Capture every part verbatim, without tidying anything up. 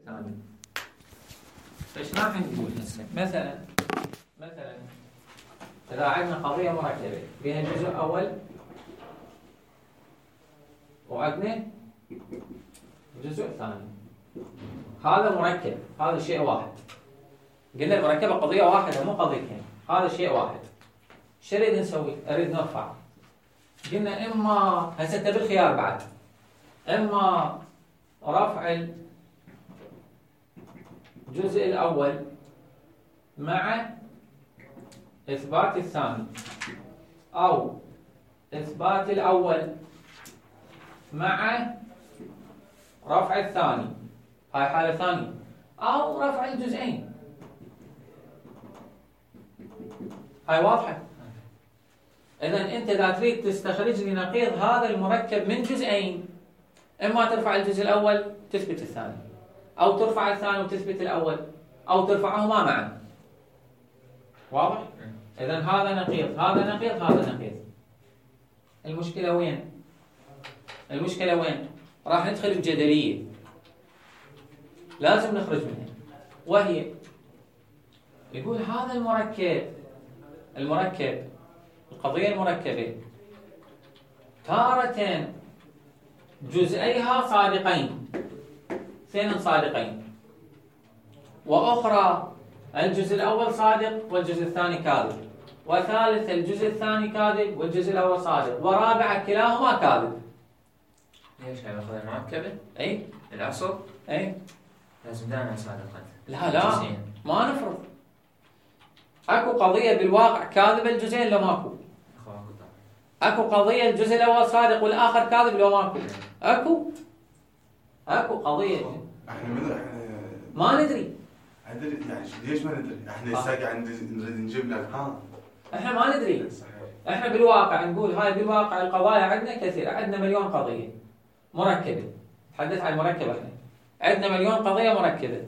ثاني. فايش راح نقول هسه؟ مثلا مثلا إذا عندنا قضية مركبة بها جزء أول وعندنا جزء ثاني، هذا مركب، هذا شيء واحد. قلنا المركبة قضية واحدة مو قضيتين، هذا شيء واحد. شو نريد نسوي؟ أريد نرفع. قلنا إما هسه أنت بالخيار بعد، إما رفع الجزء الأول مع إثبات الثاني، أو إثبات الأول مع رفع الثاني، هاي حالة ثانية، أو رفع الجزئين. هاي واضحة؟ إذن أنت إذا تريد تستخرج لي نقيض هذا المركب من جزئين، إما ترفع الجزء الأول تثبت الثاني، أو ترفع الثاني وتثبت الأول، أو ترفعهما معا. واضح؟ إذن هذا نقيض، هذا نقيض، هذا نقيض. المشكلة وين؟ المشكلة وين؟ راح ندخل بجدلية لازم نخرج منها، وهي يقول هذا المركب المركب القضية المركبة تارة جزئيها صادقين، اثنين صادقين، وأخرى الجزء الأول صادق والجزء الثاني كاذب، وثالث الجزء الثاني كاذب والجزء الأول صادق، ورابع كلاهما كاذب. ليش هاي قضية مركبة؟ أي الأصل؟ أي لازم دائما صادقا. لا لا جزئين. ما نفرض اكو قضية بالواقع كاذبة الجزئين لو ماكو. اكو قضية الجزء الأول صادق والآخر كاذب لو ماكو. اكو اكو قضية احنا من احنا ما ندري. ادري يعني ليش ما ندري؟ احنا هسه قاعد نريد نجيب لك ها. احنا ما ندري. احنا بالواقع نقول هاي بالواقع القضايا عندنا كثيرة، عندنا مليون قضية مركبة. تحدث عن المركبة احنا. عندنا مليون قضية مركبة.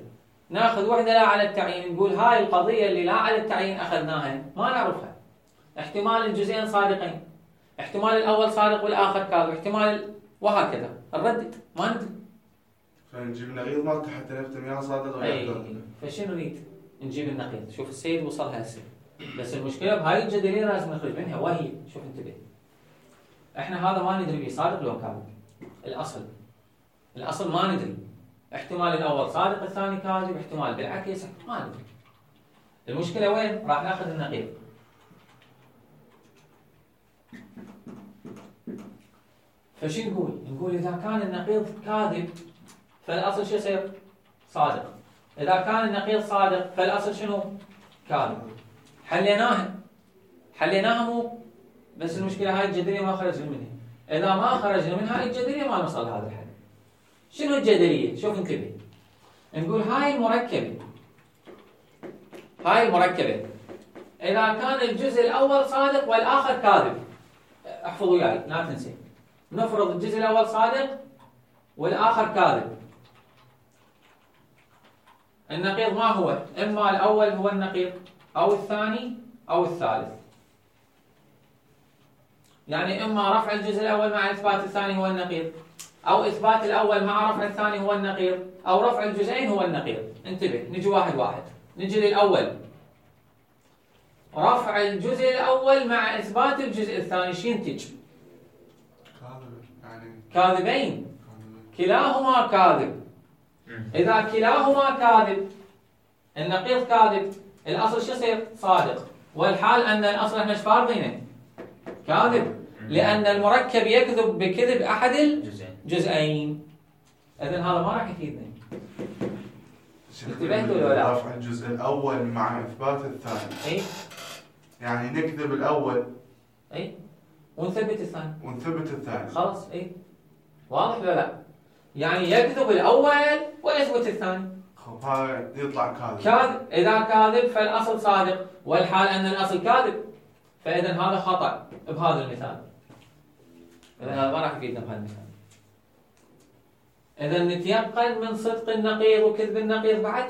ناخذ وحده لا على التعيين، نقول هاي القضية اللي لا على التعيين اخذناها ما نعرفها. احتمال الجزئين صادقين، احتمال الأول صادق والآخر كاذب، احتمال وهكذا نردد ما ندري. فنجيب النقيض مالته حتى نفتهم يا صادق ولا كاذب. فشنو نريد؟ نجيب النقيض. شوف السيد وصل هسه، بس المشكلة بهاي الجدلية لازم نخرج منها، وهي شوف انتبه. احنا هذا ما ندري بيه صادق لو كاذب. الأصل الأصل ما ندري. احتمال الأول صادق الثاني كاذب، احتمال بالعكس ما ندري. المشكلة وين؟ راح ناخذ النقيض. فشو نقول؟ نقول إذا كان النقيض كاذب فالأصل شو يصير؟ صادق. إذا كان النقيض صادق فالأصل شنو؟ كاذب. حليناها حليناها مو بس المشكلة هاي الجدلية ما خرجنا منها. إذا ما خرجنا منها هاي الجدلية ما نوصل لهذا الحل. شنو الجدلية؟ شوف انتبه. نقول هاي المركبة هاي المركبة إذا كان الجزء الأول صادق والآخر كاذب، احفظوا وياي لا تنسي. نفرض الجزء الأول صادق والآخر كاذب. النقيض ما هو؟ إما الأول هو النقيض أو الثاني أو الثالث. يعني إما رفع الجزء الأول مع إثبات الثاني هو النقيض، أو إثبات الأول مع رفع الثاني هو النقيض، أو رفع الجزئين هو النقيض. انتبه نجي واحد واحد. نجي للأول، رفع الجزء الأول مع إثبات الجزء الثاني شو ينتج؟ كاذب يعني كاذبين، كلاهما كاذب. إذا كلاهما كاذب النقيض كاذب، الأصل شو يصير؟ صادق. والحال أن الأصل احنا ايش فارضينه؟ كاذب، لأن المركب يكذب بكذب أحد الجزئين. إذن هذا ما راح يفيدنا. انتبهتوا ولا لا؟ رفع الجزء الأول مع إثبات الثاني. أي يعني نكذب الأول أي ونثبت الثاني ونثبت الثاني. خلاص. أي واضح ولا لا؟ يعني يكذب الأول ويثبت الثاني. خب هاي يطلع كاذب. كاذب. إذا كاذب فالأصل صادق، والحال أن الأصل كاذب. فإذا هذا خطأ بهذا المثال. إذا هذا ما راح يفيدنا بهذا المثال. إذا نتيقن من صدق النقيض وكذب النقيض بعد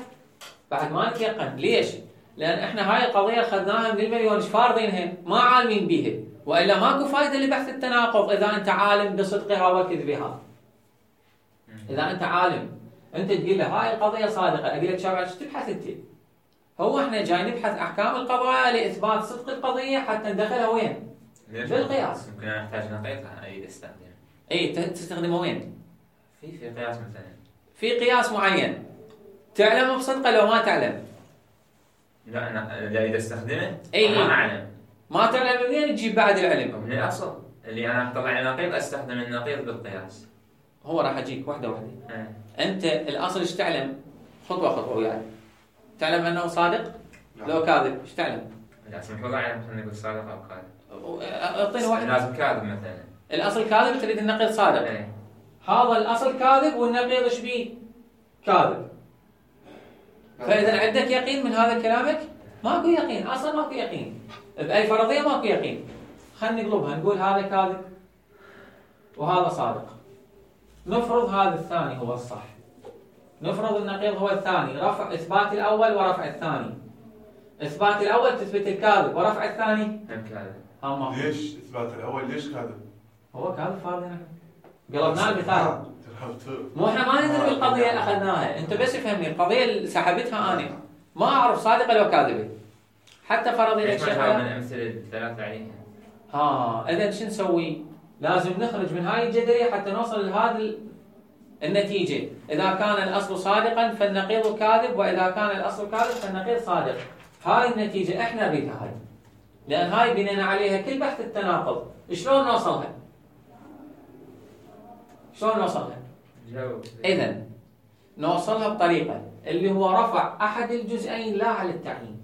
بعد ما نتيقن. ليش؟ لأن إحنا هاي القضية أخذناها من المليون إيش فارضينها ما عالمين بيها، وإلا ماكو فائدة لبحث التناقض إذا أنت عالم بصدقها وكذبها. إذا أنت عالم انت تقول له هاي القضيه صادقه، اقول لك شباب ايش تبحث انت؟ هو احنا جاي نبحث احكام القضايا لاثبات صدق القضيه حتى ندخلها وين؟ بالقياس. يمكن انا احتاج نقيض اريد استخدمه. اي تستخدمه وين؟ في في قياس مثلا. في قياس معين. تعلم بصدقه لو ما تعلم؟ لا انا اذا اريد استخدمه اي ما اعلم. ما تعلم منين تجيب بعد العلم؟ من الاصل اللي انا اطلع النقيض استخدم النقيض بالقياس. هو راح اجيك واحده واحده. أه. انت الاصل ايش تعلم؟ خطوه خطوه وياي. تعلم انه صادق؟ نعم. لو كاذب ايش تعلم؟ لازم المفروض اعلم خلينا نقول صادق او كاذب. اعطيني واحد. لازم كاذب مثلا. الاصل كاذب تريد النقيض صادق. ايه. هذا الاصل كاذب والنقيض ايش بيه؟ كاذب. فاذا عندك يقين من هذا كلامك؟ ماكو يقين، اصلا ماكو يقين. باي فرضيه ماكو يقين. خلينا نقلبها نقول هذا كاذب وهذا صادق. نفرض هذا الثاني هو الصح. نفرض النقيض هو الثاني، رفع اثبات الاول ورفع الثاني. اثبات الاول تثبت الكاذب ورفع الثاني هم كاذب. ها ما ليش اثبات الاول ليش كاذب؟ هو كاذب فرضنا. قلبنا المثال. مو احنا ما ندري آه. بالقضيه اللي اخذناها، انت بس افهمني القضيه اللي سحبتها انا ما اعرف صادقه لو كاذبه. حتى فرضي لك ليش ما شغله. من الامثله الثلاثه عليها؟ ها اذا شو نسوي؟ لازم نخرج من هاي الجدليه حتى نوصل لهذه النتيجه، اذا كان الاصل صادقا فالنقيض كاذب، واذا كان الاصل كاذب فالنقيض صادق. هاي النتيجه احنا نريدها هاي. لان هاي بنينا عليها كل بحث التناقض، شلون نوصلها؟ شلون نوصلها؟ جاوب. اذا نوصلها بطريقه اللي هو رفع احد الجزئين لا على التعيين.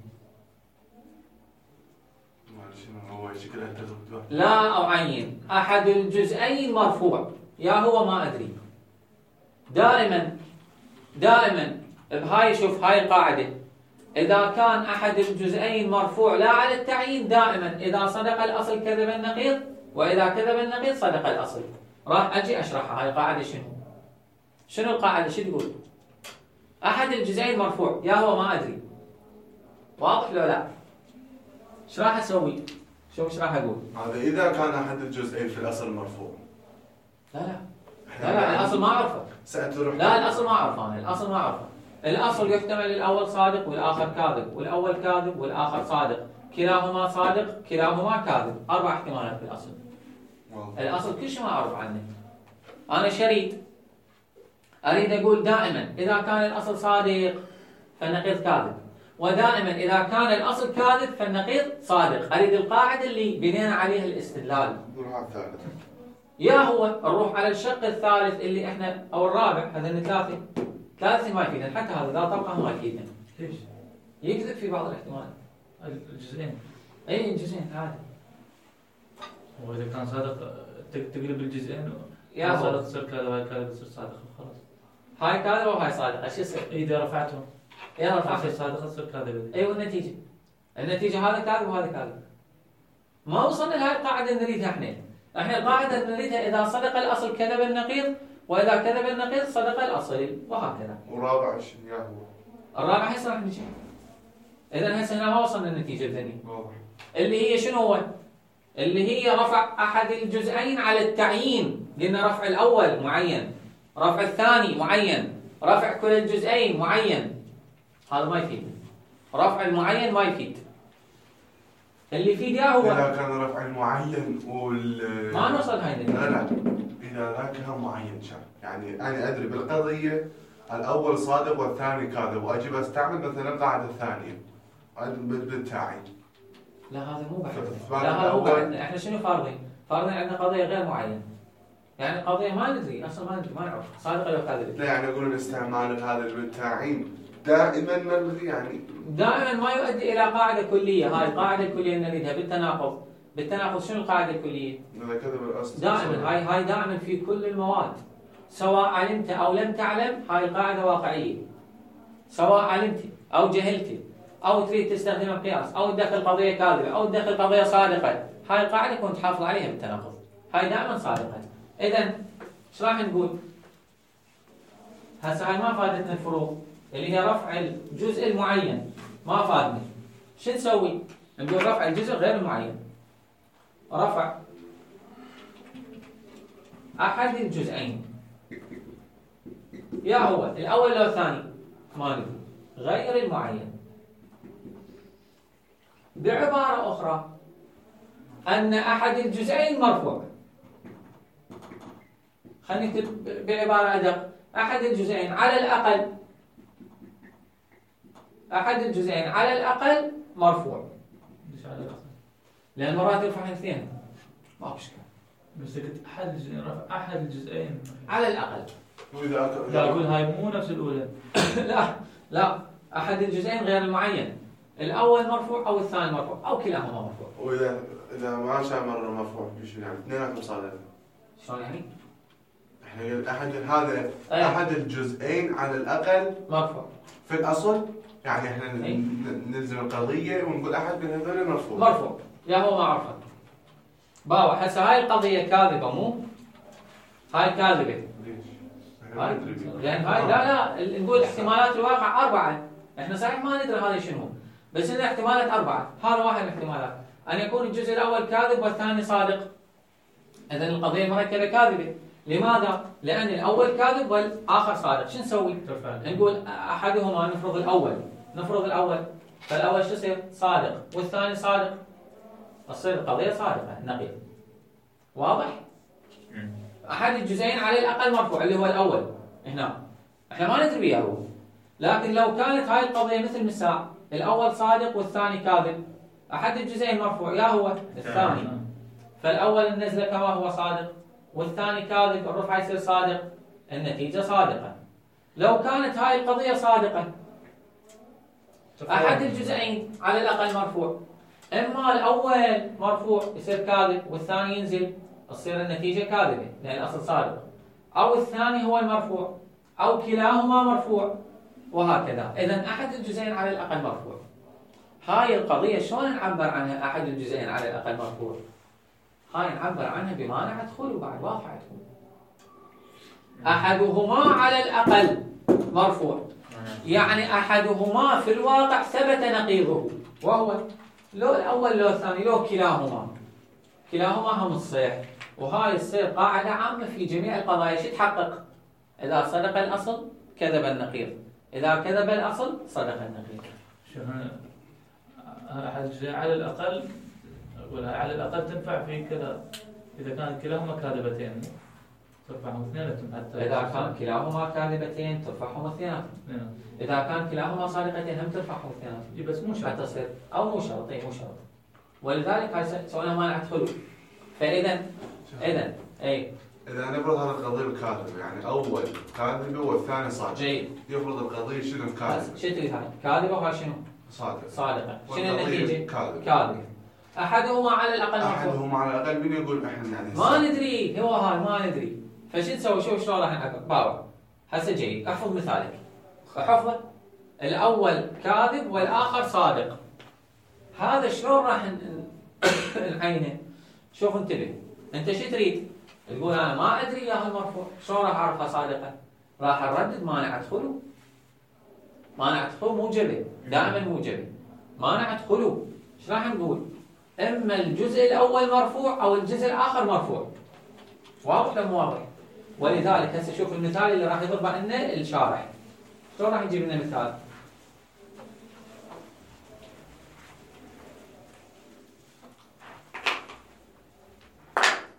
هو شكلها تغلب. لا أعين أحد الجزئين مرفوع، يا هو ما أدري. دائما دائما بهاي شوف هاي القاعدة، إذا كان أحد الجزئين مرفوع لا على التعيين دائما إذا صدق الأصل كذب النقيض، وإذا كذب النقيض صدق الأصل. راح أجي أشرحها هاي القاعدة شنو؟ شنو القاعدة شو تقول؟ أحد الجزئين مرفوع، يا هو ما أدري. واضح لو لا؟ ايش راح أسوي؟ شوف ايش راح اقول. هذا اذا كان احد الجزئين في الاصل مرفوع. لا لا لا لا الاصل ما اعرفه. سأتروح لا الاصل ما اعرفه انا، الاصل ما اعرفه. الاصل يحتمل الاول صادق والاخر كاذب، والاول كاذب والاخر صادق، كلاهما صادق كلاهما كاذب، اربع احتمالات في الاصل. واضح. الاصل كل شيء ما اعرف عنه. انا شريط اريد اقول دائما اذا كان الاصل صادق فالنقيض كاذب، ودائما إذا كان الأصل كاذب فالنقيض صادق. أريد القاعدة اللي بنينا عليها الاستدلال. نروح على الثالث. يا هو نروح على الشق الثالث اللي احنا أو الرابع، هذا ثلاثة. ثلاثة ما يفيدنا، حتى هذا لا طبقة ما يفيدنا. ليش؟ يكذب في بعض الاحتمالات. الجزئين. أي الجزئين عادي. وإذا كان صادق تقلب الجزئين. يا هو. صادق تصير كذا وهاي كذا تصير صادق خلاص. هاي كاذبة وهاي صادقة، شو يصير؟ إذا رفعتهم. يلا تصير رفعت. صادقة تصير كاذبة. أيوة النتيجة. النتيجة هذا كاذب وهذا كاذب. ما وصلنا لهاي القاعدة اللي نريدها احنا. احنا القاعدة اللي نريدها إذا صدق الأصل كذب النقيض، وإذا كذب النقيض صدق الأصل، وهكذا. ورابع شنو يا هو؟ الرابع هسه راح نجي. إذا هسه هنا ما وصلنا للنتيجة الثانية. واضح. اللي هي شنو هو؟ اللي هي رفع أحد الجزئين على التعيين. قلنا رفع الأول معين، رفع الثاني معين، رفع كل الجزئين معين. هذا ما يفيد. رفع المعين ما يفيد. اللي يفيد يا هو اذا كان رفع المعين وال ما نوصل هاي النتيجة. لا لا اذا ذاك كان معين شان، يعني انا ادري بالقضيه الاول صادق والثاني كاذب، واجي استعمل مثلا القاعده الثانيه بالتعيين. لا هذا مو بحث. فالفرق لا هذا مو الأول- بحث. احنا شنو فارضين؟ فارضين عندنا قضية غير معينة. يعني قضية ما ندري اصلا ما ندري ما نعرف صادقة ولا كاذبة. لا يعني يقولون استعمال هذا بالتعيين دائما نلغي يعني. دائما ما يؤدي الى قاعدة كلية. هاي القاعدة الكلية اللي نريدها بالتناقض. بالتناقض شنو القاعدة الكلية؟ اذا كذب الاصل دائما هاي هاي دائما في كل المواد. سواء علمت او لم تعلم هاي القاعدة واقعية. سواء علمت او جهلت او تريد تستخدم القياس او تدخل قضية كاذبة او تدخل قضية صادقة، هاي القاعدة كنت تحافظ عليها بالتناقض. هاي دائما صادقة. اذا ايش راح نقول؟ هسه هاي ما فادتنا الفروق اللي هي رفع الجزء المعين، ما فادنا. شو نسوي؟ نقول رفع الجزء غير المعين. رفع أحد الجزئين يا هو الأول لو الثاني ما ندري، غير المعين. بعبارة أخرى أن أحد الجزئين مرفوع. خلينا نكتب بعبارة أدق، أحد الجزئين على الأقل أحد الجزئين على الأقل مرفوع. ليش على الأقل؟ لأن مرات يرفع الاثنين ما هو مشكلة. بس قلت أحد الجزئين رفع أحد الجزئين على الأقل. وإذا لا أقول هاي مو نفس الأولى. لا لا أحد الجزئين غير المعين، الأول مرفوع أو الثاني مرفوع أو كلاهما مرفوع. وإذا إذا ما شامر مرفوع بشو يعني؟ اثنيناتهم صادقين. شلون يعني؟ احنا قلنا أحد هذا أيه. أحد الجزئين على الأقل مرفوع في الأصل، يعني احنا ن- أي. ن- نلزم القضية ونقول أحد من هذول مرفوع. مرفوع يا هو ما عرفت. باوع هسه هاي القضية كاذبة مو؟ هاي كاذبة. ليش؟ احنا ما هاي ندري بيه. لأن هاي لا لا ال- نقول احتمالات الواقع أربعة. احنا صحيح ما ندري هذا شنو، بس إن احتمالات أربعة، هذا واحد من الاحتمالات، أن يكون الجزء الأول كاذب والثاني صادق. إذا القضية مركبة كاذبة. لماذا؟ لأن الأول كاذب والآخر صادق. شو نسوي؟ ترفع نقول أحدهما نفرض الأول، نفرض الأول، فالأول شو يصير؟ صادق، والثاني صادق. تصير القضية صادقة نقيض. واضح؟ مم. أحد الجزئين على الأقل مرفوع اللي هو الأول هنا. احنا ما ندري بيها هو. لكن لو كانت هاي القضية مثل مساء، الأول صادق والثاني كاذب، أحد الجزئين مرفوع يا هو الثاني. فالأول النزلة كما هو صادق، والثاني كاذب، الرفع يصير صادق، النتيجة صادقة. لو كانت هاي القضية صادقة، أحد الجزئين على الأقل مرفوع، إما الأول مرفوع يصير كاذب والثاني ينزل، تصير النتيجة كاذبة لأن الأصل صادق، أو الثاني هو المرفوع، أو كلاهما مرفوع، وهكذا. إذن أحد الجزئين على الأقل مرفوع. هاي القضية شلون نعبر عنها أحد الجزئين على الأقل مرفوع؟ هاي نعبر عنها بمانع دخول بعد واضح عندكم. أحدهما على الأقل مرفوع، يعني أحدهما في الواقع ثبت نقيضه، وهو لو الأول لو الثاني لو كلاهما، كلاهما هم الصحيح. وهاي تصير قاعدة عامة في جميع القضايا. شو تحقق؟ إذا صدق الأصل كذب النقيض، إذا كذب الأصل صدق النقيض. شو هنا أحد الجزئين على الأقل، ولا على الأقل تنفع في كذا إذا كان كلاهما كاذبتين ترفعهم اثنيناتهم حتى. إذا كان كلاهما كاذبتين ترفعهم اثنيناتهم. نعم. إذا كان كلاهما صادقتين هم ترفعهم اثنيناتهم. إي بس مو شرط. حتى تصير أو مو شرط، أي مو شرط. ولذلك هاي سوينا مانع دخول. فإذا إذا أي إذا نفرض هذا القضية الكاذبة، يعني أول كاذبة والثاني صادق. جيد. يفرض القضية شنو بس كاذبة؟ شو تريد هاي؟ كاذبة وهاي شنو؟ صادق. صادقة. شنو والقضية النتيجة؟ كاذبة. كاذبة. أحدهما على الأقل مرفوع. أحدهم على الأقل من يقول إحنا يعني ما ندري، هو هاي ما ندري. فشو نسوي؟ شوف شلون راح نعبر. باوع هسه جيد، احفظ مثالك. احفظه. الأول كاذب والآخر صادق. هذا شلون راح نعينه؟ شوف انتبه. أنت شو تريد؟ تقول أنا ما أدري يا المرفوع، شلون راح أعرفها صادقة؟ راح نردد مانع دخوله. مانع دخول موجبة، دائما موجبة. مانع دخوله، ايش راح نقول؟ إما الجزء الأول مرفوع أو الجزء الآخر مرفوع. واضح ولا مو واضح؟ ولذلك هسه شوف المثال اللي راح يضربه لنا الشارح. شلون راح يجيب لنا مثال؟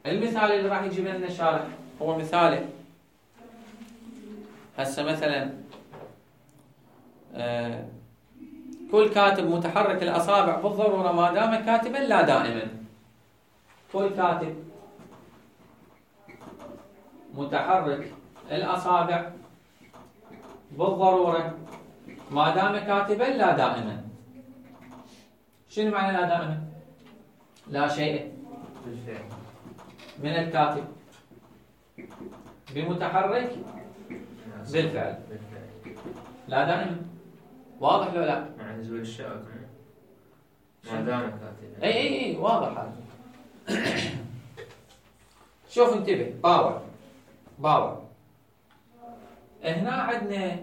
المثال اللي راح يجيب لنا الشارح هو مثاله. هسه مثلا آه كل كاتب متحرك الأصابع بالضرورة ما دام كاتبا لا دائما. كل كاتب متحرك الأصابع بالضرورة ما دام كاتبا لا دائما. شنو معنى لا دائما؟ لا شيء من الكاتب بمتحرك بالفعل لا دائما. واضح لو لا؟ مع نزول الشائك ما دام كاتب. اي اي اي واضح هذا. شوف انتبه. باور باور هنا عندنا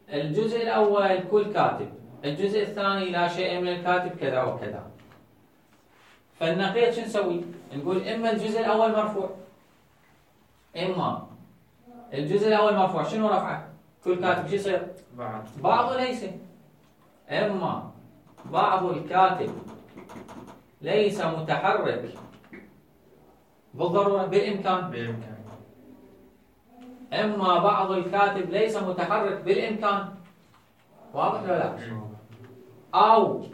الجزء الأول كل كاتب، الجزء الثاني لا شيء من الكاتب كذا وكذا. فالنقيض شو نسوي؟ نقول إما الجزء الأول مرفوع إما الجزء الاول مرفوع، شنو رفعه؟ كل كاتب شو يصير؟ بعض بعض وليس. اما بعض الكاتب ليس متحرك بالضرورة بالامكان، بالإمكان. اما بعض الكاتب ليس متحرك بالامكان. واضح ولا لا؟ او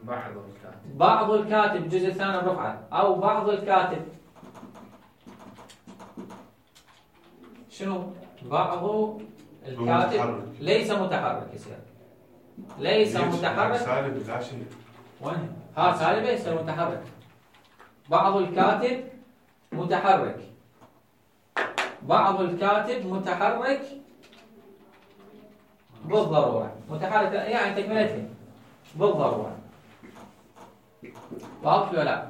بعض الكاتب بعض الكاتب الجزء الثاني الرفعة، او بعض الكاتب شنو؟ بعض الكاتب متحرك. ليس متحرك يصير. ليس ليش؟ متحرك. سالب لا شيء. وين؟ ها سالبة يصير متحرك. بعض الكاتب متحرك. بعض الكاتب متحرك بالضرورة. متحرك يعني تكملتها بالضرورة. واضح ولا لا؟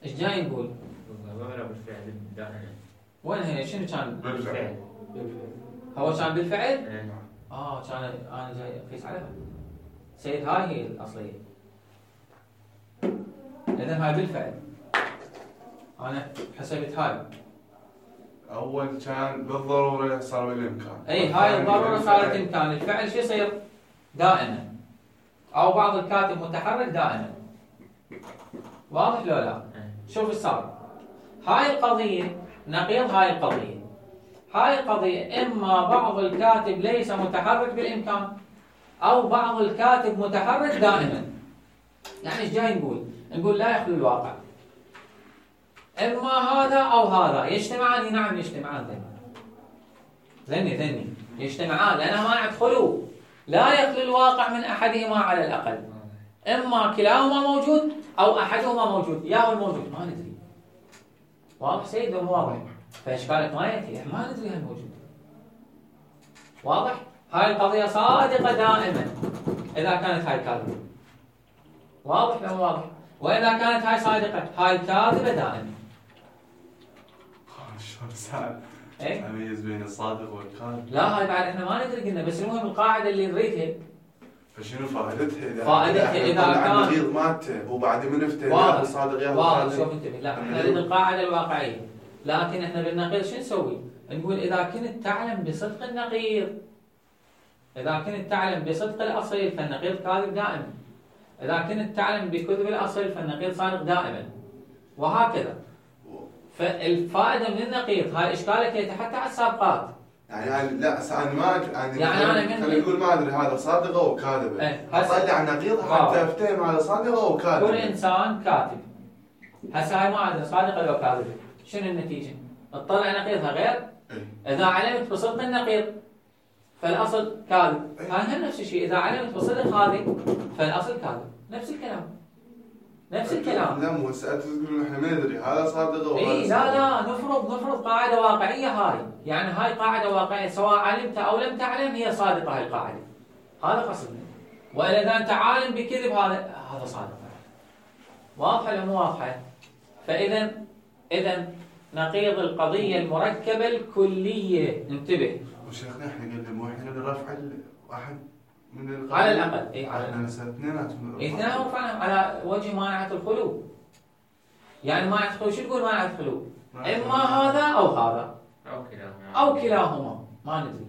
ايش جاي نقول؟ بالضرورة بالفعل دائما. وين هي؟ شنو كان؟ بالفعل. هو كان بالفعل؟ إيه. اه كان انا جاي اقيس عليها. سيد هاي هي الاصلية. اذا هاي بالفعل. انا حسبت هاي. اول كان بالضروره صار بالامكان. اي هاي الضروره صارت امكان، الفعل شو يصير؟ دائما. او بعض الكاتب متحرك دائما. واضح لو لا؟ شوف ايش صار. هاي القضيه نقيض هاي القضيه. هاي القضيه اما بعض الكاتب ليس متحرك بالامكان، او بعض الكاتب متحرك دائما. يعني ايش جاي نقول؟ نقول لا يخلو الواقع. اما هذا او هذا يجتمعان، نعم يجتمعان ذني ذني ذني يجتمعان لانها ما يدخلوا. لا يخلو الواقع من احدهما على الاقل. اما كلاهما موجود او احدهما موجود. يا هو الموجود ما ندري. واضح سيد ولا واضح؟ فاشكالك ما ياتي، احنا ما ندري هل موجود. واضح؟ هاي القضيه صادقه دائما اذا كانت هاي كاذبه. واضح ولا واضح؟ واذا كانت هاي صادقه هاي كاذبه دائما. شلون سهل؟ ايه؟ اميز بين الصادق والكاذب. لا هاي بعد احنا ما ندري قلنا، بس المهم القاعده اللي نريدها. فشنو فائدتها اذا فائدتها إذا كان- كان النقيض مالته وبعد من افتى واضح. يا صادق يا واضح. كاذب. شوف انتبه، لا احنا نريد القاعده الواقعيه، لكن احنا بالنقيض شو نسوي؟ نقول اذا كنت تعلم بصدق النقيض، اذا كنت تعلم بصدق الاصيل فالنقيض كاذب دائما. اذا كنت تعلم بكذب الاصيل فالنقيض صادق دائما. وهكذا. فالفائده من النقيض هاي اشكالك يتحدى على السابقات. يعني أنا لا انا ما أد- يعني يعني أنا من- خلينا نقول ما ادري هذا صادق او كاذب. إيه، هسه- اطلع نقيض آه. حتى افتهم هذا صادق او كاذب. كل انسان كاتب. هسه هاي ما ادري صادقه لو كاذبه، شنو النتيجه؟ تطلع نقيضها غير. إيه. اذا علمت بصدق النقيض فالاصل كاذب. إيه. هاي هم نفس الشيء، اذا علمت بصدق هذه فالاصل كاذب. نفس الكلام. نفس الكلام. لا مو هسه انت تقول احنا ما ندري هذا صادق او اي هذا لا صادق. لا نفرض نفرض قاعده واقعيه هاي، يعني هاي قاعده واقعيه سواء علمت او لم تعلم هي صادقه هاي القاعده. هذا قصدنا. والا اذا انت عالم بكذب هذا هذا صادق. واضحه ولا مو واضحه؟ فاذا اذا نقيض القضيه المركبه الكليه. انتبه. وشيخنا احنا قلنا مو احنا قلنا رفع واحد من القضية. على الاقل اي على احنا الاقل هسه اثنيناتهم اثنين رفعناهم على وجه مانعه الخلو. يعني مانعه الخلو شو تقول مانعه الخلو؟ اما هذا او هذا أو كلاهما او كلاهما ما ندري.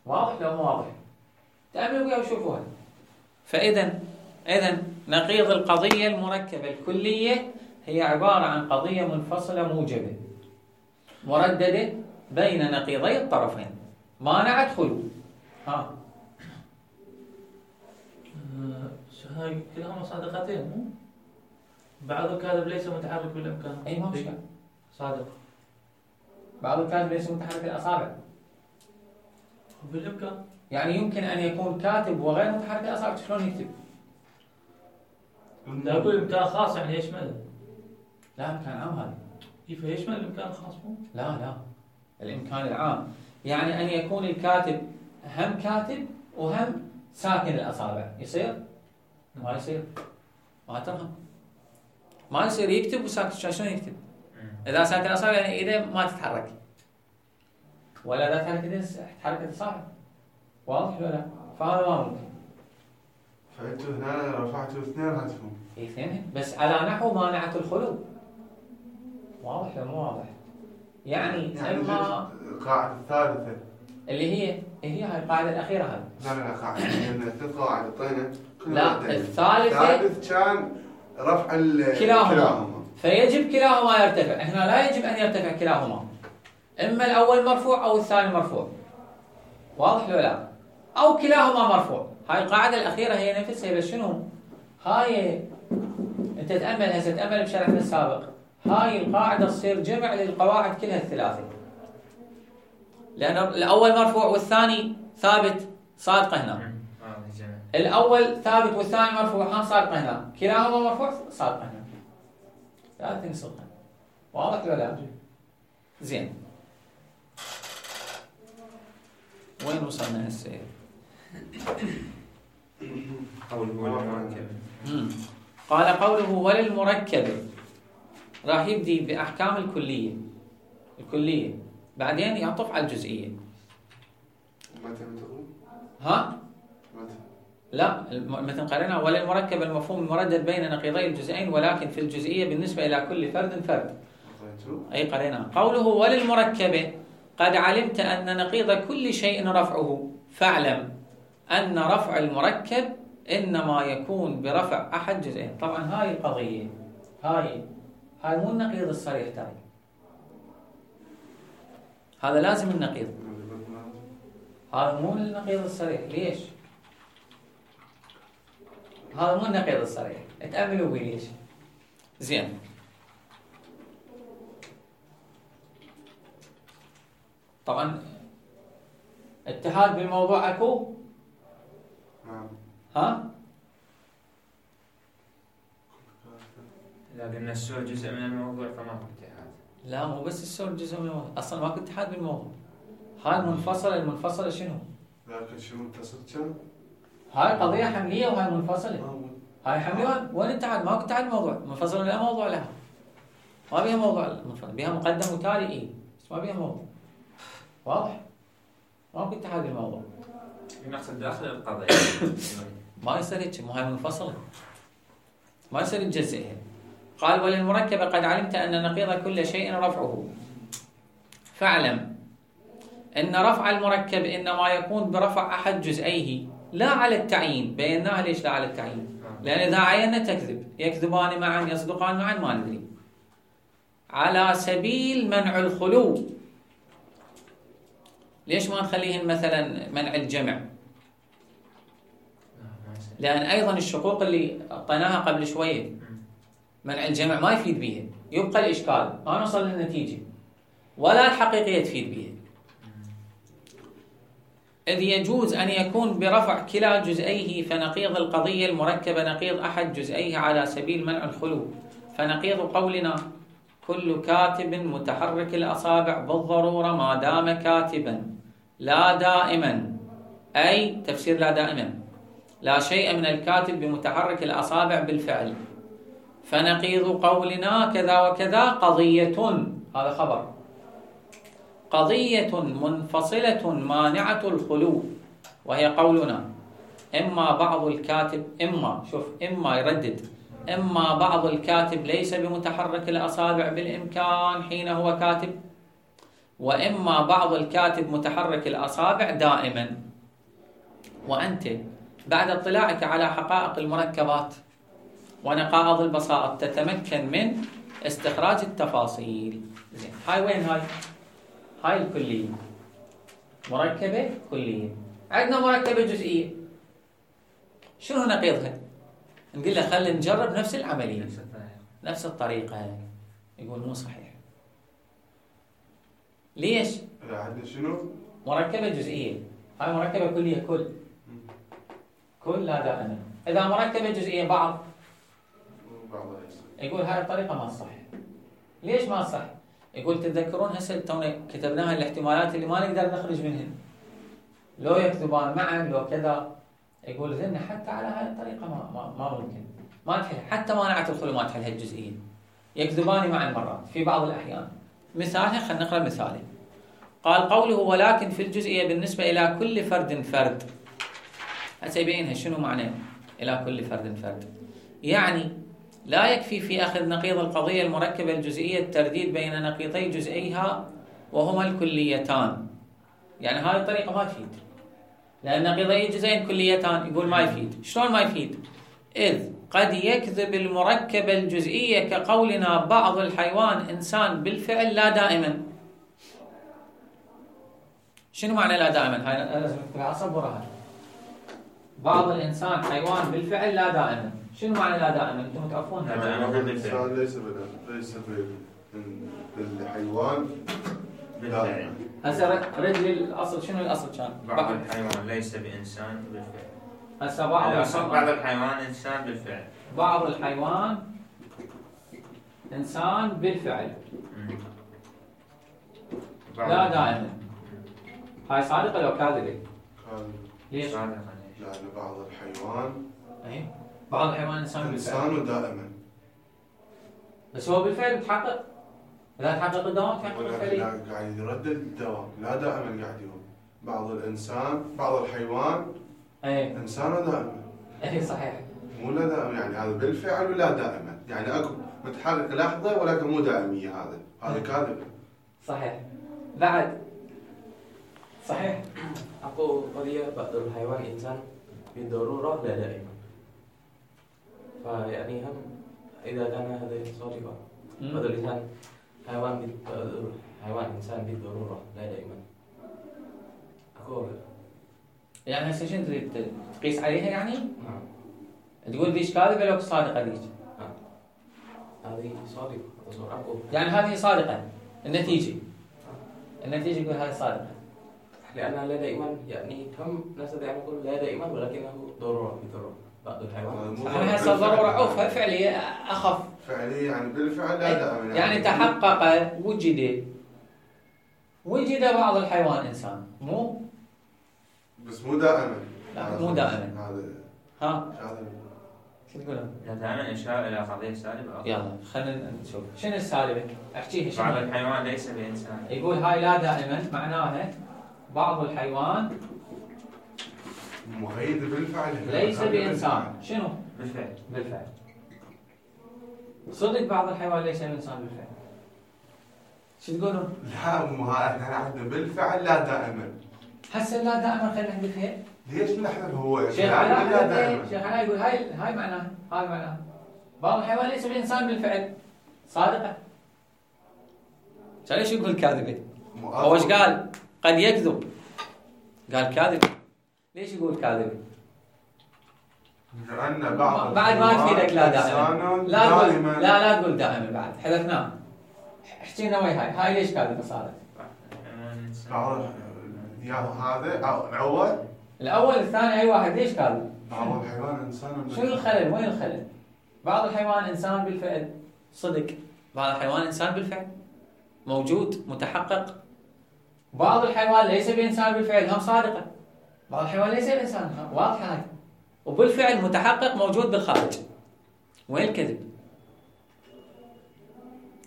واضح لو مو واضح؟ تأملوا وياه وشوفوها. فاذا اذا نقيض القضيه المركبه الكليه هي عباره عن قضيه منفصله موجبه مردده بين نقيضي الطرفين مانعه خلو. ها آه، هاي كلاهما صادقتين مو؟ بعض الكاذب ليس متحرك بالامكان. اي ما مشكله. صادق بعض الكاتب ليس متحرك الاصابع. بالامكان. يعني يمكن ان يكون كاتب وغير متحرك الاصابع. شلون يكتب؟ لا اقول امكان خاص يعني يشمل. لا امكان عام هذا. كيف يشمل الامكان الخاص مو؟ لا لا الامكان العام يعني ان يكون الكاتب هم كاتب وهم ساكن الاصابع. يصير؟ ما يصير. ما تفهم. ما يصير يكتب وساكت. شلون يكتب؟ اذا ساكن الاصابع يعني ايده ما تتحرك، ولا اذا تحرك ايده تحرك الاصابع. واضح ولا لا؟ فهذا ما ممكن. فانتوا هنا رفعتوا اثنيناتهم. اي، اثنين بس على نحو مانعة الخلو. واضح ولا مو واضح؟ يعني, يعني اما القاعدة الثالثة اللي هي هي هاي القاعده الاخيره هاي. لا لا لا قاعدة لأن ثلاث قواعد اعطينا لا الثالثه الثالث كان رفع ال- كلاهما. كلاهما فيجب كلاهما يرتفع. هنا لا يجب ان يرتفع كلاهما، اما الاول مرفوع او الثاني مرفوع. واضح لو لا؟ او كلاهما مرفوع. هاي القاعده الاخيره هي نفسها، بس شنو؟ هاي انت تامل هسه، تامل بشرحنا السابق، هاي القاعده تصير جمع للقواعد كلها الثلاثه، لان الاول مرفوع والثاني ثابت صادقه هنا. الاول ثابت والثاني مرفوع ها صادقه هنا، كلاهما مرفوع صادقه هنا. لا تنسقها. واضح ولا لا؟ زين. وين وصلنا هسه؟ قوله والمركب. قال قوله وللمركب، راح يبدي باحكام الكليه. الكليه بعدين يعطف على الجزئيه. متى تقول؟ ها؟ متى؟ لا مثل قرأنا وللمركب المفهوم المردد بين نقيضي الجزئين ولكن في الجزئيه بالنسبه الى كل فرد فرد. اي قرأنا قوله وللمركب قد علمت ان نقيض كل شيء رفعه فاعلم ان رفع المركب انما يكون برفع احد جزئين. طبعا هاي القضيه هاي هاي مو النقيض الصريح ترى، هذا لازم النقيض، هذا مو النقيض الصريح. ليش؟ هذا مو النقيض الصريح، اتأملوا بي ليش. زين، طبعا اتحاد بالموضوع اكو؟ ها؟ إذا قلنا السؤال جزء من الموضوع فماكو اتحاد. لا مو بس السؤال جزء من الموضوع، اصلا ماكو اتحاد بالموضوع. هاي المنفصله، المنفصله شنو؟ لكن شنو متصل كم؟ هاي قضيه حمليه وهاي منفصله. هاي حمليه وين اتحاد؟ ماكو اتحاد بالموضوع، منفصله لا موضوع لها. ما بيها موضوع منفصل، بيها مقدم وتالي اي، بس ما بيها موضوع. واضح؟ ماكو اتحاد بالموضوع. نقصد داخل القضيه. ما يصير هيك، مو هاي منفصله. ما يصير تجزئها. قال وللمركب قد علمت أن نقيض كل شيء رفعه فاعلم أن رفع المركب إنما يكون برفع أحد جزئيه لا على التعيين. بيناها ليش لا على التعيين؟ لأن إذا عينا تكذب، يكذبان معا يصدقان معا ما ندري. على سبيل منع الخلو. ليش ما نخليهن مثلا منع الجمع؟ لأن أيضا الشقوق اللي أعطيناها قبل شوية منع الجمع ما يفيد بيها، يبقى الإشكال، ما نوصل للنتيجة ولا الحقيقية تفيد بيها. إذ يجوز أن يكون برفع كلا جزئيه، فنقيض القضية المركبة نقيض أحد جزئيه على سبيل منع الخلو. فنقيض قولنا كل كاتب متحرك الأصابع بالضرورة ما دام كاتبا لا دائما، أي تفسير لا دائما، لا شيء من الكاتب بمتحرك الأصابع بالفعل. فنقيض قولنا كذا وكذا قضية، هذا خبر، قضية منفصلة مانعة الخلو، وهي قولنا إما بعض الكاتب، إما شوف إما يردد، إما بعض الكاتب ليس بمتحرك الأصابع بالإمكان حين هو كاتب، وإما بعض الكاتب متحرك الأصابع دائما. وأنت بعد اطلاعك على حقائق المركبات ونقائض البساط تتمكن من استخراج التفاصيل. زين، هاي وين هاي؟ هاي الكلية، مركبة كلية. عندنا مركبة جزئية، شنو نقيضها؟ نقول له خلينا نجرب نفس العملية نفس الطريقة. يقول مو صحيح. ليش؟ عندنا شنو؟ مركبة جزئية، هاي مركبة كلية كل كل لا دائما. إذا مركبة جزئية بعض، يقول هاي الطريقة ما صح. ليش ما صح؟ يقول تتذكرون هسه تونا كتبناها الاحتمالات اللي ما نقدر نخرج منهن، لو يكذبان معا لو كذا. يقول ذن حتى على هاي الطريقة ما ما, ما ممكن، ما تحل، حتى مانعة الخلو ما تحل هالجزئية. يكذبان معا مرات في بعض الأحيان. مثالها خلينا نقرأ مثاله. قال قوله ولكن في الجزئية بالنسبة إلى كل فرد فرد. هسه يبينها شنو معنى إلى كل فرد فرد. يعني لا يكفي في أخذ نقيض القضية المركبة الجزئية الترديد بين نقيضي جزئيها وهما الكليتان. يعني هذه الطريقة ما تفيد، لأن نقيضي الجزئين كليتان. يقول ما يفيد. شلون ما يفيد؟ إذ قد يكذب المركبة الجزئية كقولنا بعض الحيوان إنسان بالفعل لا دائما. شنو معنى لا دائما؟ هاي لازم نكتبها صبرها. بعض الإنسان حيوان بالفعل لا دائما. شنو معنى لا دائما؟ انتم متعرفون؟ الإنسان ليس بال ليس بال بالحيوان بالفعل. هسه رد لي الأصل. شنو الأصل كان؟ بعض الحيوان ليس بإنسان بالفعل. هسه بعض الأصل بعض الحيوان إنسان بالفعل. بعض الحيوان إنسان بالفعل لا دائما. هاي صادقة لو كاذبة؟ كاذبة. ليش؟ صادقة. لأن بعض الحيوان أي بعض الحيوان إنسان بالفعل. إنسان دائما. بس هو بالفعل بتحقق. إذا تحقق الدوام تحقق الفعلية. قاعد يردد الدوام، لا دائما قاعد يقول. بعض الإنسان بعض الحيوان أي إنسان دائما. أي صحيح. مو لا دائما، يعني هذا بالفعل ولا دائما، يعني اكو متحرك لحظه ولكن مو دائميه. هذا هذا كاذب. صحيح. بعد صحيح. اكو قضيه بعض الحيوان انسان بالضروره لا دائما. فيعني هم اذا كان هذا صادقا بعض الانسان حيوان حيوان انسان بالضروره لا دائما. اكو يعني هسه شنو تريد تقيس عليها يعني؟ نعم. تقول ذيش كاذبة لو صادقة ذيش؟ نعم. هذه صادقة. أكو يعني هذه صادقة. النتيجة النتيجة يقول هذه صادقة. لأنها لا دائما، يعني هم نستطيع أن نقول لا دائما ولكنه ضرورة بالضرورة بعض الحيوان. أنا هسه ضرورة عوف فعلية أخف. فعلية يعني بالفعل لا دائما. يعني, يعني تحقق وجد وجد بعض الحيوان إنسان مو بس مو دائما. لا مو دائما. هذا ها هذا شو تقول؟ لا دائما إشارة إلى قضية سالبة. يلا خلينا نشوف شنو السالبة. احكيها شنو. بعض الحيوان ليس بإنسان. يقول هاي لا دائما معناها بعض الحيوان مقيد بالفعل ليس بإنسان. شنو؟ بالفعل. بالفعل. صدق بعض الحيوان ليس بإنسان بالفعل. شو تقولون؟ لا مو احنا عندنا بالفعل لا دائما. هسه لا دائما خلينا نحذفها. ليش نحذف هو؟ شيخ علاء شيخ علاء يقول هاي هاي معناها هاي معناها بعض الحيوان ليس بإنسان بالفعل صادقة. ليش يقول كاذبة؟ هو ايش قال؟ قد يكذب. قال كاذب. ليش يقول كاذبة؟ لأن بعض بعد ما تفيدك لا دائما. لا تقول لا لا تقول دائما بعد حذفناه. احكي لنا ويا هاي هاي ليش كاذبة صارت؟ بعض يا هذا أو الأول الأول الثاني أي واحد ليش كاذب؟ بعض الحيوان إنسان. شنو الخلل؟ وين الخلل؟ بعض الحيوان إنسان بالفعل صدق. بعض الحيوان إنسان بالفعل موجود متحقق. بعض الحيوان ليس بإنسان بالفعل هم صادقة. بعض الحيوان ليس بإنسان واضحة هاي. وبالفعل متحقق موجود بالخارج. وين الكذب؟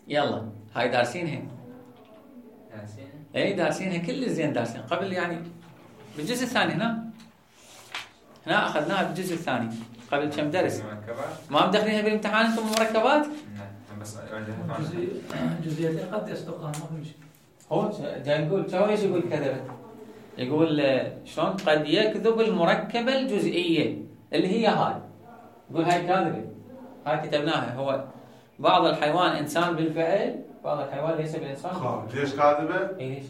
يلا هاي دارسينها. دارسينها؟ اي دارسينها كل زين دارسين قبل يعني بالجزء الثاني هنا. هنا أخذناها بالجزء الثاني قبل كم درس. مركبات؟ ما مدخلينها بالامتحان انتم مركبات؟ نعم بس جزئيتين قد يصدقها ما في مشكلة. هو جاي يقول شو ايش يقول كذب؟ يقول شلون قد يكذب المركبة الجزئية اللي هي هاي. يقول هاي كاذبة. هاي كتبناها. هو بعض الحيوان إنسان بالفعل بعض الحيوان ليس بإنسان. ليش كاذبة؟ اي ليش؟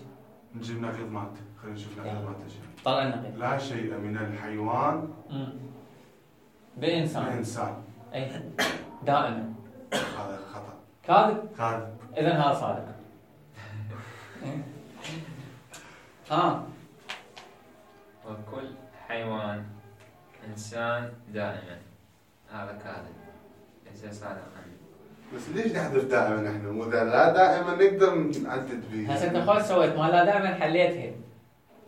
نجيب نقيض مالته. خلينا نشوف نقيض مالته شنو. طلع النقيض. لا شيء من الحيوان بإنسان. بإنسان. اي دائما. هذا خطأ. كاذب. كاذب. إذا هذا صادق. ها. وكل حيوان إنسان دائما. هذا كاذب. ليس صادقا. بس ليش نحذف دائما احنا؟ مو لا دائما نقدر نعدد فيه. هسه انت خوش سويت ما لا دائما حليتها.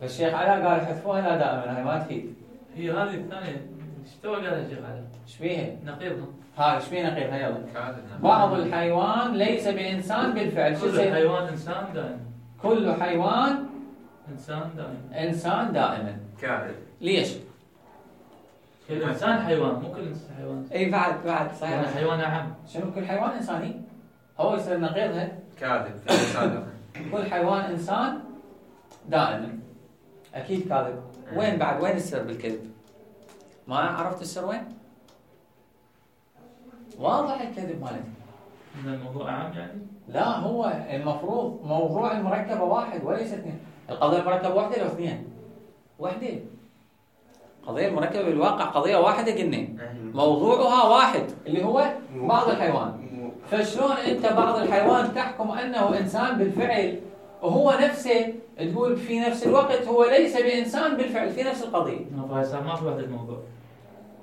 الشيخ علاء قال حذفوها لا دائما هاي ما تفيد. هي هذه الثانية ايش تو قالها الشيخ علاء؟ ايش بيها؟ نقيضها. ها ايش بيها نقيضها يلا. كاذب. بعض الحيوان ليس بإنسان بالفعل. شو كل حيوان إنسان دائما. كل حيوان إنسان دائما. إنسان دائما. كاذب. ليش؟ كل انسان حيوان، مو كل انسان حيوان. اي بعد بعد صحيح. يعني حيوان اعم. شنو كل حيوان انساني؟ هو يصير نقيضها. كاذب في صادق. كل حيوان انسان دائما. اكيد كاذب. وين بعد وين السر بالكذب؟ ما عرفت السر وين؟ واضح الكذب مالته. ان الموضوع اعم يعني؟ لا هو المفروض موضوع المركبة واحد وليس اثنين. القضية المركبة واحدة لو اثنين؟ واحدة. القضية المركبة بالواقع قضية واحدة قلنا. موضوعها واحد اللي هو بعض الحيوان. فشلون انت بعض الحيوان تحكم انه انسان بالفعل وهو نفسه تقول في نفس الوقت هو ليس بانسان بالفعل في نفس القضية. فهسه ما في وحدة موضوع.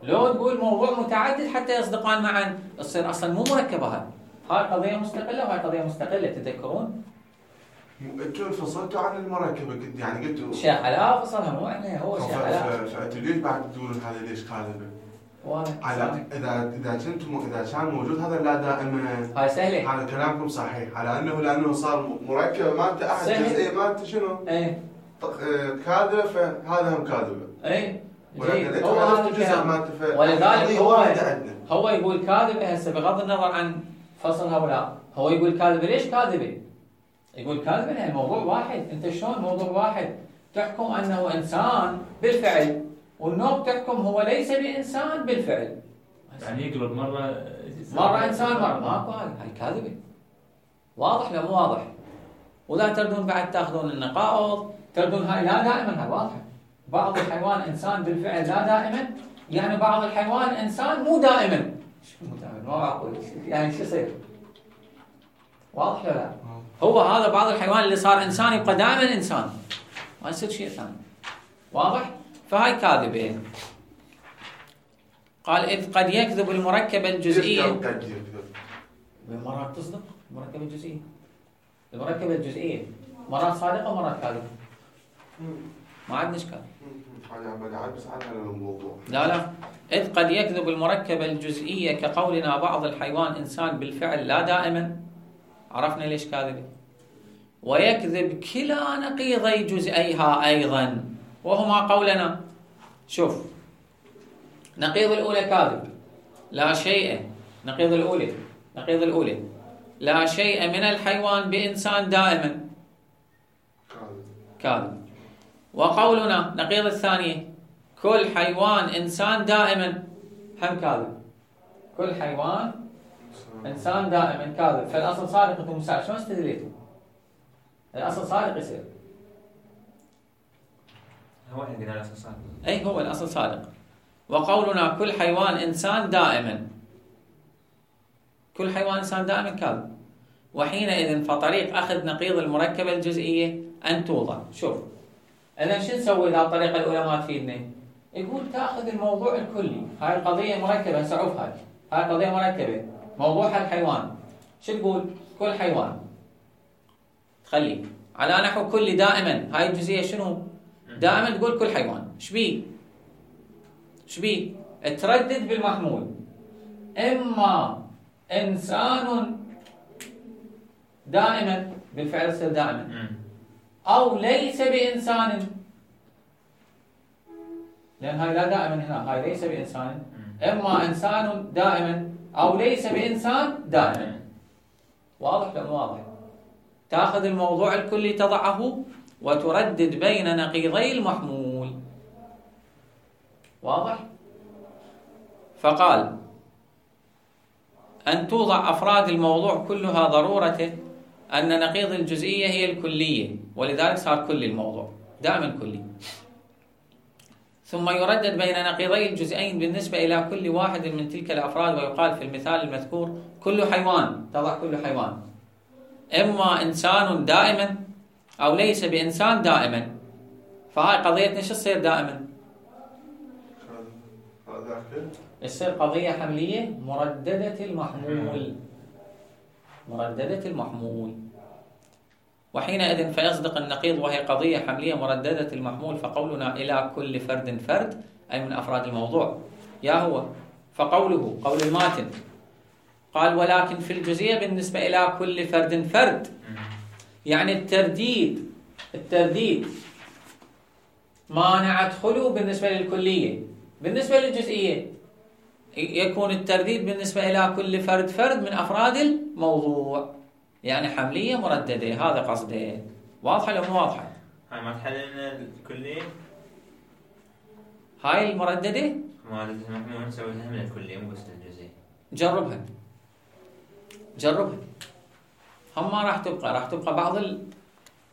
لو تقول موضوع متعدد حتى يصدقان معا تصير اصلا مو مركبة هاي. هاي قضية مستقلة وهاي قضية مستقلة تذكرون؟ انتوا انفصلتوا عن المركبة قلت يعني قلتوا شيخ علاء فصلها مو احنا هو شيخ علاء. فانتوا ليش بعد تقولون هذا ليش كاذبة؟ على اذا اذا كنتم اذا كان موجود هذا لا دائما هاي سهلة. هذا كلامكم صحيح على انه لانه صار مركبة ما انت احد جزئية ما انت شنو؟ ايه كاذبة فهذا هم كاذبة. ايه ولكن هو هذا الجزء ما انت ولذلك هو هو يقول كاذبة هسه بغض النظر عن فصل هؤلاء هو يقول كاذبة ليش كاذبة؟ يقول كاذبة لأن الموضوع واحد. انت شلون موضوع واحد تحكم انه انسان بالفعل والنوع تحكم هو ليس بانسان بالفعل. يعني يقلب مرة مرة انسان مرة ماكو هاي هاي كاذبة. واضح لا مو واضح؟ ولا تردون بعد تاخذون النقائض تردون هاي لا دائما هاي واضحة. بعض الحيوان انسان بالفعل لا دائما يعني بعض الحيوان انسان مو دائما. شو مو دائما؟ ما معقول يعني شو يصير؟ واضح ولا لا؟ هو هذا بعض الحيوان اللي صار انسان يبقى دائما انسان ما يصير شيء ثاني. واضح؟ فهاي كاذبة. قال إذ قد يكذب المركبة الجزئية. مرات تصدق المركبة الجزئية. المركبة الجزئية مرات صادقة ومرات كاذبة. ما عندنا اشكال. لا لا. إذ قد يكذب المركبة الجزئية كقولنا بعض الحيوان إنسان بالفعل لا دائما. عرفنا ليش كاذبة. ويكذب كلا نقيضي جزئيها أيضا وهما قولنا. شوف نقيض الأولى كاذب لا شيء. نقيض الأولى نقيض الأولى لا شيء من الحيوان بإنسان دائما كاذب. وقولنا نقيض الثانية كل حيوان إنسان دائما هم كاذب. كل حيوان إنسان دائما كاذب. فالأصل صادق أنتم مساعد شلون استدليتوا؟ الأصل صادق يصير. هو احنا قلنا الأصل صادق. أي هو الأصل صادق. وقولنا كل حيوان إنسان دائما كل حيوان إنسان دائما كاذب. وحينئذ فطريق أخذ نقيض المركبة الجزئية أن توضع. شوف إذا شو نسوي إذا الطريقة الأولى ما تفيدنا؟ يقول تأخذ الموضوع الكلي. هاي القضية مركبة سعوف هاي هاي قضية مركبة موضوعها الحيوان. شو تقول؟ كل حيوان تخلي على نحو كل دائما. هاي الجزئية شنو؟ دائما تقول كل حيوان. شبيه؟ شبيه؟ تردد بالمحمول إما إنسان دائما بالفعل يصير دائما أو ليس بإنسان لأن هاي لا دائما هنا هاي ليس بإنسان. إما إنسان دائما أو ليس بإنسان دائما. واضح ولا مو واضح؟ تأخذ الموضوع الكلي تضعه وتردد بين نقيضي المحمول. واضح؟ فقال أن توضع أفراد الموضوع كلها ضرورته أن نقيض الجزئية هي الكلية ولذلك صار كل الموضوع دائما كلي. ثم يردد بين نقيضي الجزئين بالنسبة إلى كل واحد من تلك الأفراد ويقال في المثال المذكور كل حيوان. تضع كل حيوان إما إنسان دائما أو ليس بإنسان دائما. فهاي قضيتنا شو تصير دائما؟ تصير قضية حملية مرددة المحمول. مرددة المحمول. وحينئذ فيصدق النقيض وهي قضية حملية مرددة المحمول. فقولنا إلى كل فرد فرد أي من أفراد الموضوع يا هو. فقوله قول الماتن قال ولكن في الجزئية بالنسبة إلى كل فرد فرد يعني الترديد الترديد مانع ادخله بالنسبة للكلية بالنسبة للجزئية يكون الترديد بالنسبة إلى كل فرد فرد من أفراد الموضوع، يعني حملية مرددة، هذا قصده. واضحة لو مو واضحة؟ هاي ما تحل لنا الكلية؟ هاي المرددة ما نحن نسوي لها من الكلية مو بس الجزئية. جربها جربها هم ما راح تبقى، راح تبقى بعض ال...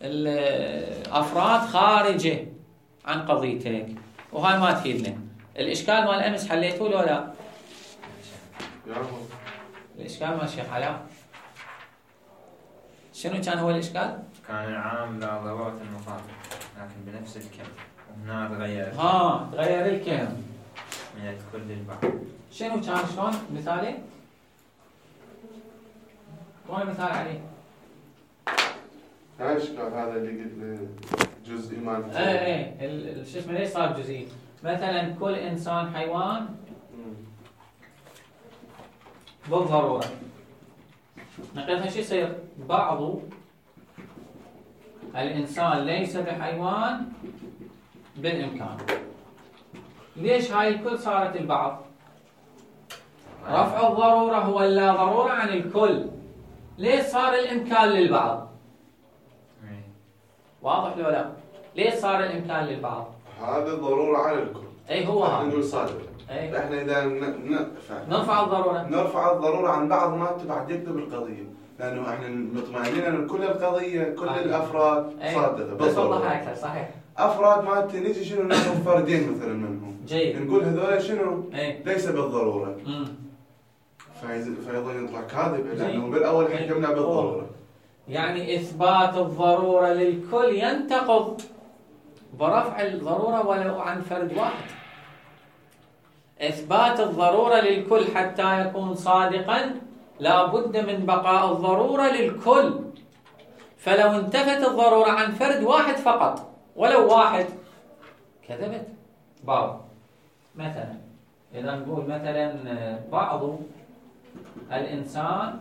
الأفراد خارجة عن قضيتك، وهاي ما تفيدنا. الإشكال مال أمس حليتوه لو لا؟ الإشكال مال الشيخ علاء شنو كان هو الإشكال؟ كان العام لا ضرورة المخاطب لكن بنفس الكم، وهنا تغير ها تغير الكم من الكل للبعض. شنو كان شلون مثالي؟ شلون مثال عليه؟ هاي الاشكال هذا اللي قلت جزئي مالته. اي اي شو اسمه ليش صار جزئي؟ مثلا كل انسان حيوان بالضروره. نقيضها شو يصير؟ بعض الانسان ليس بحيوان بالامكان. ليش هاي الكل صارت البعض؟ رفع الضروره هو اللا ضروره عن الكل. ليش صار الامكان للبعض؟ واضح لو لا؟ ليش صار الامكان للبعض؟ هذا ضروره على الكل. اي هو هذا. نقول صادق. اي احنا اذا نرفع الضروره نرفع الضروره عن بعض ما بعد يكتب القضيه، لانه احنا مطمئنين ان كل القضيه كل أي. الافراد أي. صادقه. بس والله اكثر صحيح. افراد ما نيجي شنو ناخذ فردين مثلا منهم. جيد. نقول هذول شنو؟ اي ليس بالضروره. امم فيظل يطلع كاذب لانه بالاول حكمنا بالضروره. يعني اثبات الضروره للكل ينتقض برفع الضروره ولو عن فرد واحد. إثبات الضرورة للكل حتى يكون صادقا لا بد من بقاء الضرورة للكل. فلو انتفت الضرورة عن فرد واحد فقط ولو واحد كذبت. بعض مثلا إذا نقول مثلا بعض الإنسان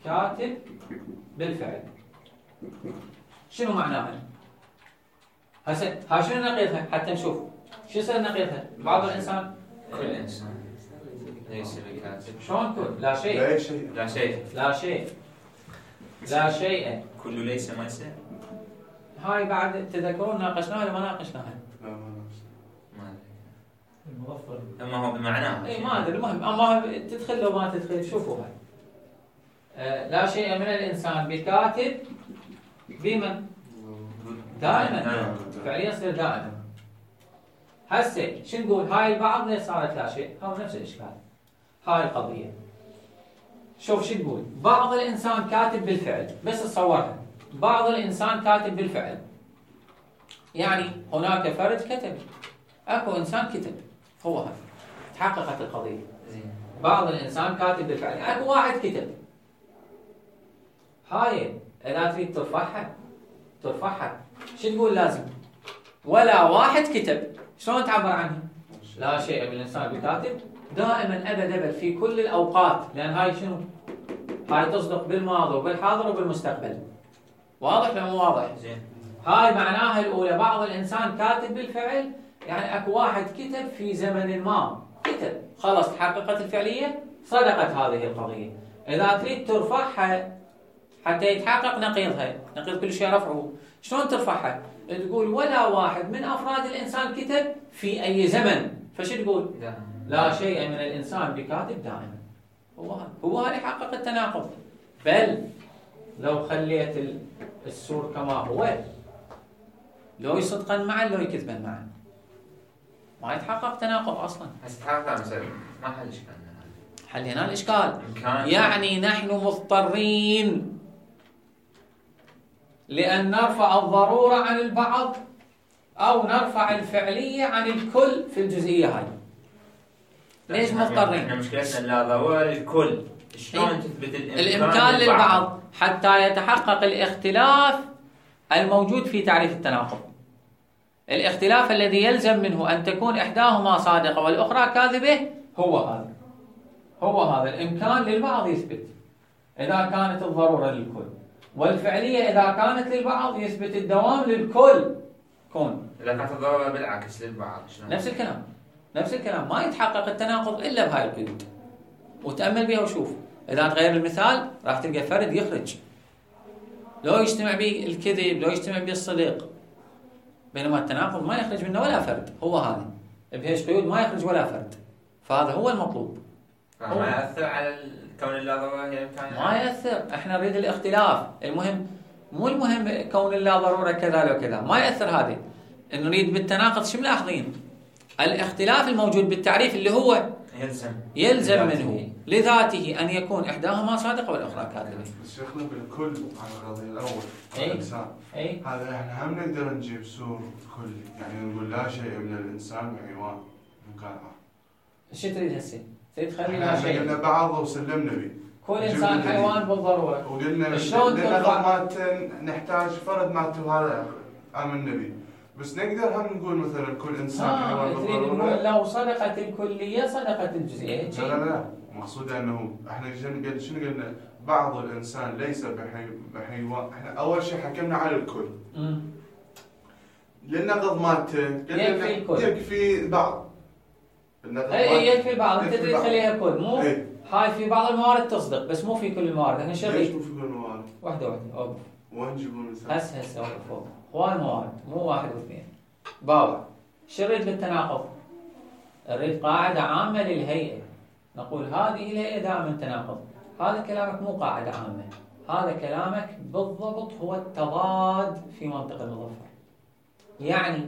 كاتب بالفعل، شنو معناها؟ هسه ها شنو نقيضها حتى نشوف شو يصير نقيضها؟ بعض الإنسان كل إنسان ليس بكاتب. شلون كل؟ لا شيء. لا شيء. لا شيء. لا شيء. لا شيء. كل ليس ما يصير. هاي بعد تذكرون ناقشناها ولا ما ناقشناها؟ لا ما ما المظفر. أدري. أما هو بمعناه. اي ما ادري المهم اما تدخل لو ما تدخل شوفوا هاي. آه لا شيء من الانسان بكاتب بمن؟ دائما. فعليا يصير دائما. هسه شو نقول؟ هاي البعض ليش صارت لا شيء؟ هو نفس الاشكال. هاي القضيه. شوف شو تقول؟ بعض الانسان كاتب بالفعل، بس تصورها. بعض الانسان كاتب بالفعل. يعني هناك فرد كتب. اكو انسان كتب. هو هذا. تحققت القضيه. زين. بعض الانسان كاتب بالفعل، اكو واحد كتب. هاي اذا تريد ترفعها ترفعها شو تقول لازم؟ ولا واحد كتب. شلون تعبر عنه؟ لا شيء بالانسان بكاتب دائما ابد ابد في كل الاوقات، لان هاي شنو؟ هاي تصدق بالماضي وبالحاضر وبالمستقبل. واضح ولا مو واضح؟ زين. هاي معناها الاولى بعض الانسان كاتب بالفعل، يعني اكو واحد كتب في زمن ما، كتب خلاص تحققت الفعليه، صدقت هذه القضيه. اذا تريد ترفعها حتى يتحقق نقيضها، نقيض كل شيء رفعه، شلون ترفعها؟ تقول ولا واحد من افراد الانسان كتب في اي زمن، فشو تقول؟ لا شيء من الانسان بكاتب دائما. هو هذا هو هذا يحقق التناقض. بل لو خليت السور كما هو، لو يصدقا معا لو يكذبا معا، ما يتحقق تناقض اصلا. هسه تحقق مثلا ما حل اشكال. حلينا الاشكال. يعني نحن مضطرين لأن نرفع الضرورة عن البعض أو نرفع الفعلية عن الكل في الجزئية هاي. ليش مضطرين؟ احنا مشكلتنا لا ضرورة للكل. شلون تثبت الإمكان, الإمكان للبعض حتى يتحقق الاختلاف الموجود في تعريف التناقض. الاختلاف الذي يلزم منه أن تكون إحداهما صادقة والأخرى كاذبة هو هذا. هو هذا الإمكان للبعض يثبت إذا كانت الضرورة للكل، والفعلية إذا كانت للبعض يثبت الدوام للكل. كون إذا كانت الضرورة بالعكس للبعض شلون؟ نفس الكلام نفس الكلام، ما يتحقق التناقض إلا بهاي القيود. وتأمل بها وشوف، إذا تغير المثال راح تلقى فرد يخرج، لو يجتمع به الكذب، لو يجتمع به الصدق، بينما التناقض ما يخرج منه ولا فرد. هو هذا بهيش قيود ما يخرج ولا فرد، فهذا هو المطلوب. ما يأثر على كون اللا ضرورة الإمكان؟ ما يأثر، احنا نريد الاختلاف. المهم مو المهم كون اللا ضرورة كذا وكذا، ما يأثر هذا. نريد بالتناقض شو ملاحظين؟ الاختلاف الموجود بالتعريف اللي هو يلزم يلزم منه لذاته أن يكون إحداهما صادقة والأخرى كاذبة. بس شيخنا بالكل على القضية الأول أي. الإنسان أي. هذا احنا هم نقدر نجيب سور كلي، يعني نقول لا شيء من الإنسان بحيوان مكافأة. شو تريد هسه؟ تريد تخلي احنا لا شيء؟ قلنا بعض وسلمنا به. كل إنسان حيوان بالضرورة. وقلنا شلون لأن ترفع؟ مالته نحتاج فرد مالته هذا آمنا به. بس نقدر هم نقول مثلا كل إنسان حيوان آه تريد نقول بالضرورة. لو صدقت الكلية صدقت الجزئية. لا لا لا، مقصود أنه احنا شنو شنو قلنا؟ بعض الإنسان ليس بحي... بحيوان. احنا أول شيء حكمنا على الكل. امم للنقض مالته يكفي الكل. يكفي بعض. النقض اي مالته يكفي بعض، انت يكفي تريد بعض. تخليها كل، مو إيه. هاي في بعض الموارد تصدق بس مو في كل الموارد. احنا ليش شغل مو في كل الموارد؟ واحدة واحدة اوقف. وين نجيبون المثال؟ هسه هسه اوقف فوق. هواي موارد مو واحد واثنين. باوع. شو نريد بالتناقض؟ نريد قاعدة عامة للهيئة. نقول هذه الهيئة دائما تناقض. هذا كلامك مو قاعدة عامة، هذا كلامك بالضبط هو التضاد في منطق المظفر. يعني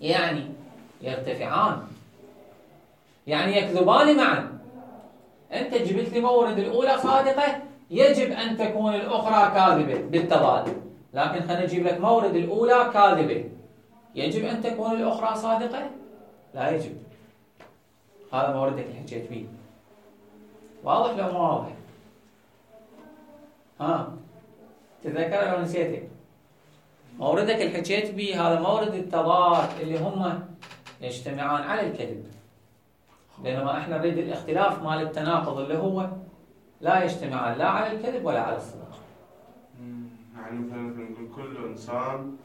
يعني يرتفعان، يعني يكذبان معا. أنت جبت لي مورد الأولى صادقة، يجب أن تكون الأخرى كاذبة بالتضاد. لكن خلينا نجيب لك مورد الأولى كاذبة، يجب أن تكون الأخرى صادقة؟ لا يجب. هذا موردك اللي حكيت فيه. واضح لو مو واضح؟ ها تتذكر لو نسيته؟ موردك اللي حكيت به هذا مورد التضاد اللي هم يجتمعان على الكذب، بينما احنا نريد الاختلاف مال التناقض اللي هو لا يجتمعان لا على الكذب ولا على الصدق. يعني مثلا نقول كل انسان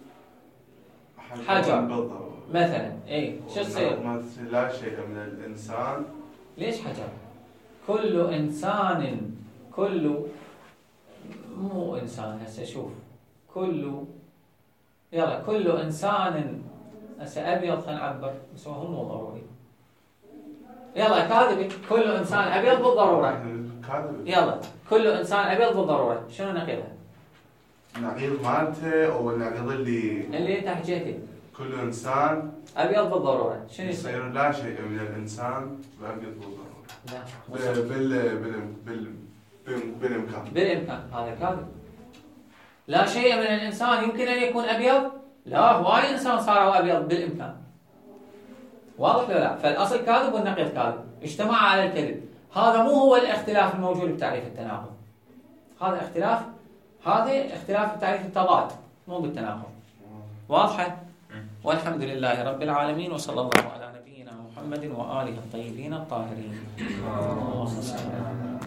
حجر بالضبط مثلا. اي شو تصير؟ لا شيء من الانسان. ليش حجر؟ كل انسان، كل مو انسان هسه شوف، كل يلا كل انسان هسه ابيض خلينا نعبر بس هو مو ضروري. يلا كاذب، كل انسان ابيض بالضروره. كاذب. يلا كل انسان ابيض بالضروره، شنو نقيضها؟ النقيض مالته او النقيض اللي اللي انت حكيته كل انسان ابيض بالضروره، شنو يصير؟ يصير لا شيء من الانسان ابيض بالضروره. لا بال بال بال بال بالامكان. بالامكان، هذا كاذب. لا شيء من الانسان يمكن ان يكون ابيض؟ لا، هواي انسان صاروا ابيض بالامكان. واضح ولا لا؟ فالاصل كاذب والنقيض كاذب، اجتمع على الكذب. هذا مو هو الاختلاف الموجود بتعريف التناقض. هذا اختلاف، هذا اختلاف بتعريف التضاد مو بالتناقض. واضحه؟ والحمد لله رب العالمين، وصلى الله على نبينا محمد واله الطيبين الطاهرين. اللهم صل على محمد.